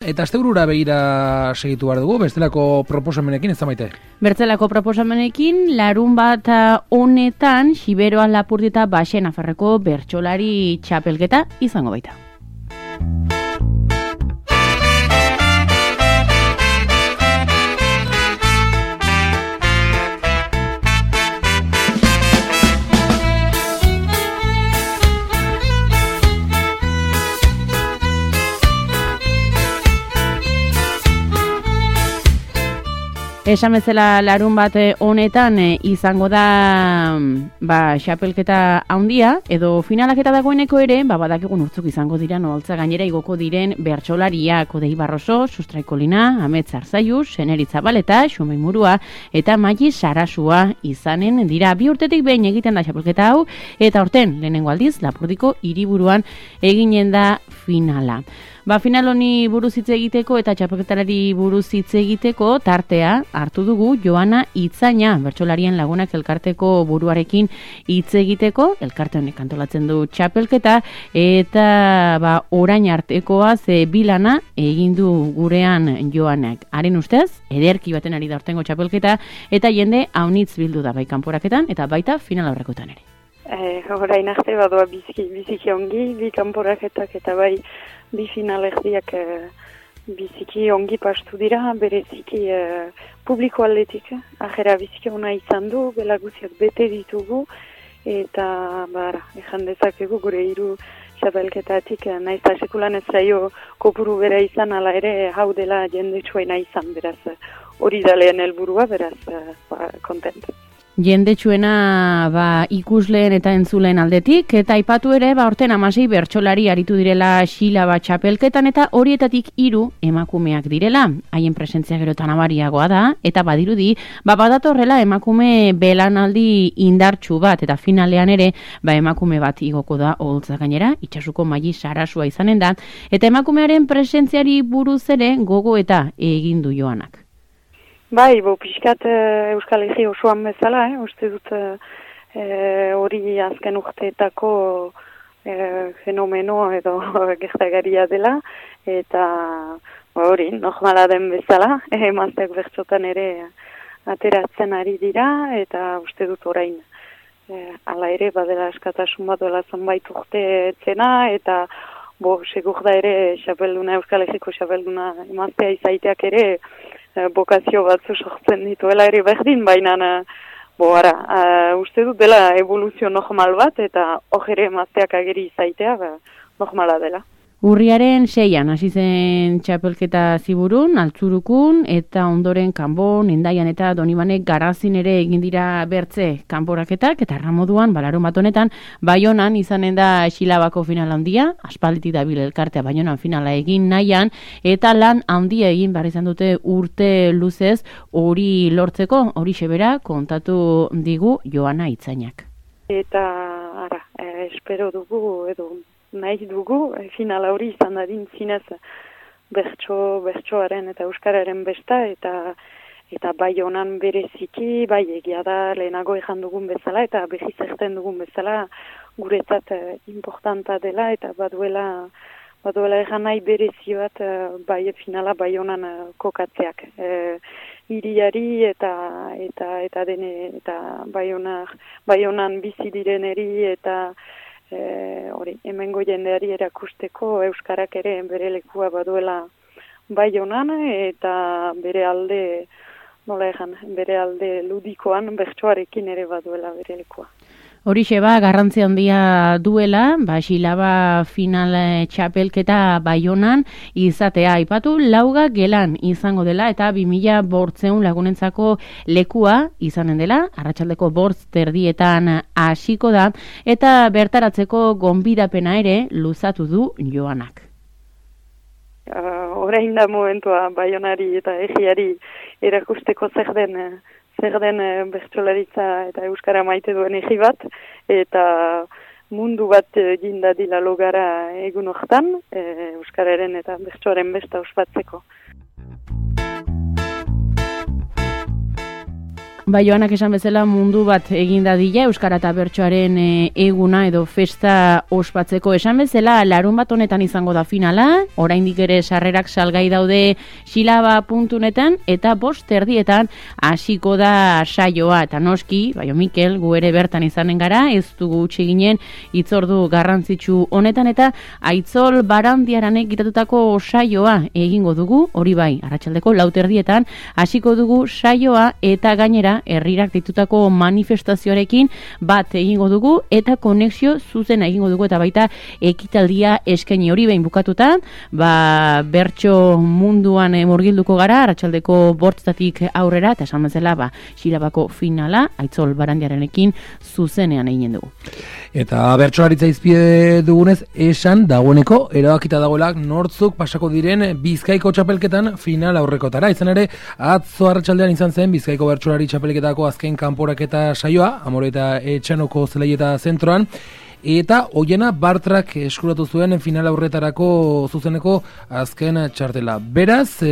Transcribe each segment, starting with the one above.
Eta asteburura begira segitu behar dugu, bestelako proposamenekin, ez da Maite? Bertzelako proposamenekin, larun bat honetan, Xiberoa Lapurdita Baxen Afarreko bertsolari txapelketa izango baita. Esan bezala larun bat honetan izango da xapelketa handia, edo finalaketa dagoeneko ere, badakigun urtzuk izango dira noholtza gainera igoko diren bertsolariak Odei Barroso, Sustraikolina, Amets Arzaiuz, Seneritz Zabaleta, Xumei Murua eta Maji Sarasua izanen dira. 2 urtetik behin egiten da xapelketa hau, eta horten lehenengo aldiz Lapurdiko hiriburuan eginen da finala. Final honi buruz hitz egiteko eta txapelketarari buruz hitz egiteko tartea hartu dugu Joana Itzaina, bertsolarien lagunak elkarteko buruarekin hitz egiteko, elkarte honek antolatzen du txapelketa, eta orain artekoa bilana egin du gurean Joanak. Haren ustez, ederki baten ari da hortengo txapelketa, eta jende haunitz bildu da bai kanporaketan, eta baita final aurrekotan ere. Orain arte badoa biziki ongi, bi kanporaketak eta bai bi finalerdiak biziki ongi pastu dira, bereziki publiko aldetik. Ajera biziki ona izan du, belaguziak bete ditugu, eta ejan dezakegu gure 3 txapelketatik naiz eta sekulan ez zaio kopuru bera izan, ala ere hau dela jendetsuena izan, beraz hori da lehen helburua, beraz kontent. Jendetsuena ikusleen eta entzuleen aldetik, eta aipatu ere horten 16 bertsolari aritu direla Xilaba txapelketan, eta horietatik 3 emakumeak direla. Haien presentzia gero eta nabariagoa da, eta badirudi badatorrela emakume belanaldi indartsu bat, eta finalean ere emakume bat igoko da oholtza gainera, Itsasuko Maji Sarasua izanen da, eta emakumearen presentziari buruz ere gogo eta egin du Joanak. Pixkat Euskal Herri osoan bezala, uste dut hori azken urteetako fenomeno edo gertagaria dela, eta hori normala den bezala, emazteak bertsotan ere ateratzen ari dira, eta uste dut orain hala ere badela askatasun bat dola zonbait urte etzena, eta segur da ere Euskal Herriko xapelduna emaztea izaiteak ere bokazio batzu sortzen dituela ere berdin, baina uste dut dela evoluzio normal bat, eta ere emazteak ageri izaitea normala dela. Urriaren 6an hasi zen txapelketa Ziburun, Altzurukun, eta ondoren Kanbon, Hendaian eta Donibanek Garazin ere egin dira bertze kanporaketak, eta erramoduan, larun bat honetan, Baionan izanen da Xilabako final handia, aspalditik dabil elkartea Baionan finala egin nahian, eta lan handia egin behar izan dute urte luzez hori lortzeko, hori xebera kontatu digu Joana Itzainak. Eta, espero dugu edo nahi dugu, finala hori izan dadin zinez bertsoaren eta euskararen besta, eta Baionan bereziki, egia da lehenago ejan dugun bezala, eta behiz erten dugun bezala guretzat importanta dela, eta baduela egan nahi berezi bat finala Baionan kokatzeak. Hiriari eta Baionan bizi direneri eta hemengo jendeari erakusteko euskarak ere bere lekua baduela Baionan, eta bere alde ludikoan bertsoarekin ere baduela bere lekua. Horixe garrantzi handia duela, Xilaba final txapelketa Baionan izatea aipatu, lauga gelan izango dela, eta 2500 lagunentzako lekua izanen dela, arratsaldeko 5:30 hasiko da, eta bertaratzeko gonbidapena ere luzatu du Joanak. Orain da momentua Baionari eta egiari erakusteko zer den bertsolaritza eta euskara maite duen egi bat, eta mundu bat jindadila logara egun hortan, euskararen eta bertsoaren besta ospatzeko. Ba, Joanak esan bezala mundu bat egin dadila Euskara eta Bertsoaren eguna edo festa ospatzeko. Esan bezala larun bat honetan izango da finala, oraindik ere sarrerak salgai daude xilaba.neten eta 5:30 hasiko da saioa. Eta noski, Baio Mikel, gu ere bertan izanen gara, ez dugu utzi ginen hitzordu garrantzitsu honetan eta Aitzol Barandiaranek gitatutako saioa egingo dugu, hori bai, arratsaldeko 4:30 hasiko dugu saioa eta gainera herrirak ditutako manifestazioarekin bat egingo dugu eta konexio zuzena egingo dugu eta baita ekitaldia eskaini hori behin bukatuta, ba bertso munduan murgilduko gara arratsaldeko 5:00 aurrera eta esan bezala ba xilabako finala Aitzol Barandiarenekin zuzenean egin dugu. Eta bertsolaritza izpide dugunez esan dagoeneko erabakita dagoela nortzuk pasako diren Bizkaiko txapelketan final aurrekotara. Izan ere atzo arratsaldean izan zen Bizkaiko bertsolari txapelketako azken kanporaketa saioa, Amore eta Etxanoko zelaieta zentroan, eta Oiena Bartrak eskuratu zuen final aurretarako zuzeneko azken txartela. Beraz,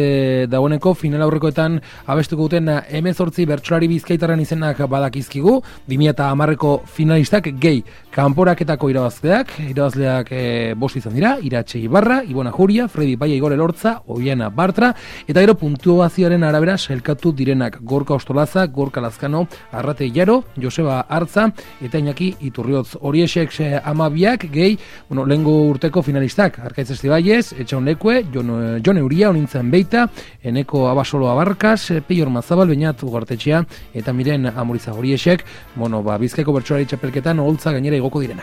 dagoeneko final aurrekoetan abestuko duten 18 bertsolari bizkaitarren izenak badakizkigu, 2010ko finalistak gehi kanporaketako irabazleak 5 izan dira, Iratxe Ibarra, Ibona Juria, Fredi Baia Igor Elortza, Oiena Bartra, eta gero puntuazioaren arabera sailkatu direnak Gorka Ostolaza, Gorka Lazkano, Arrate Jaro, Joseba Artza, eta Iñaki Iturriotz. Horiexek 12 gehi, lehengo urteko finalistak, Arkaitz Estibaiez, Etxaun Lekue, Jon Euria, Onintzen Beita, Eneko Abasolo Abarkas, Peior Mazabal, Beñat Ugartetxea, eta Miren Amuriza. Horiexek, Bizkaiko bertsolari txapelketan oholtza gainera igoko direnak.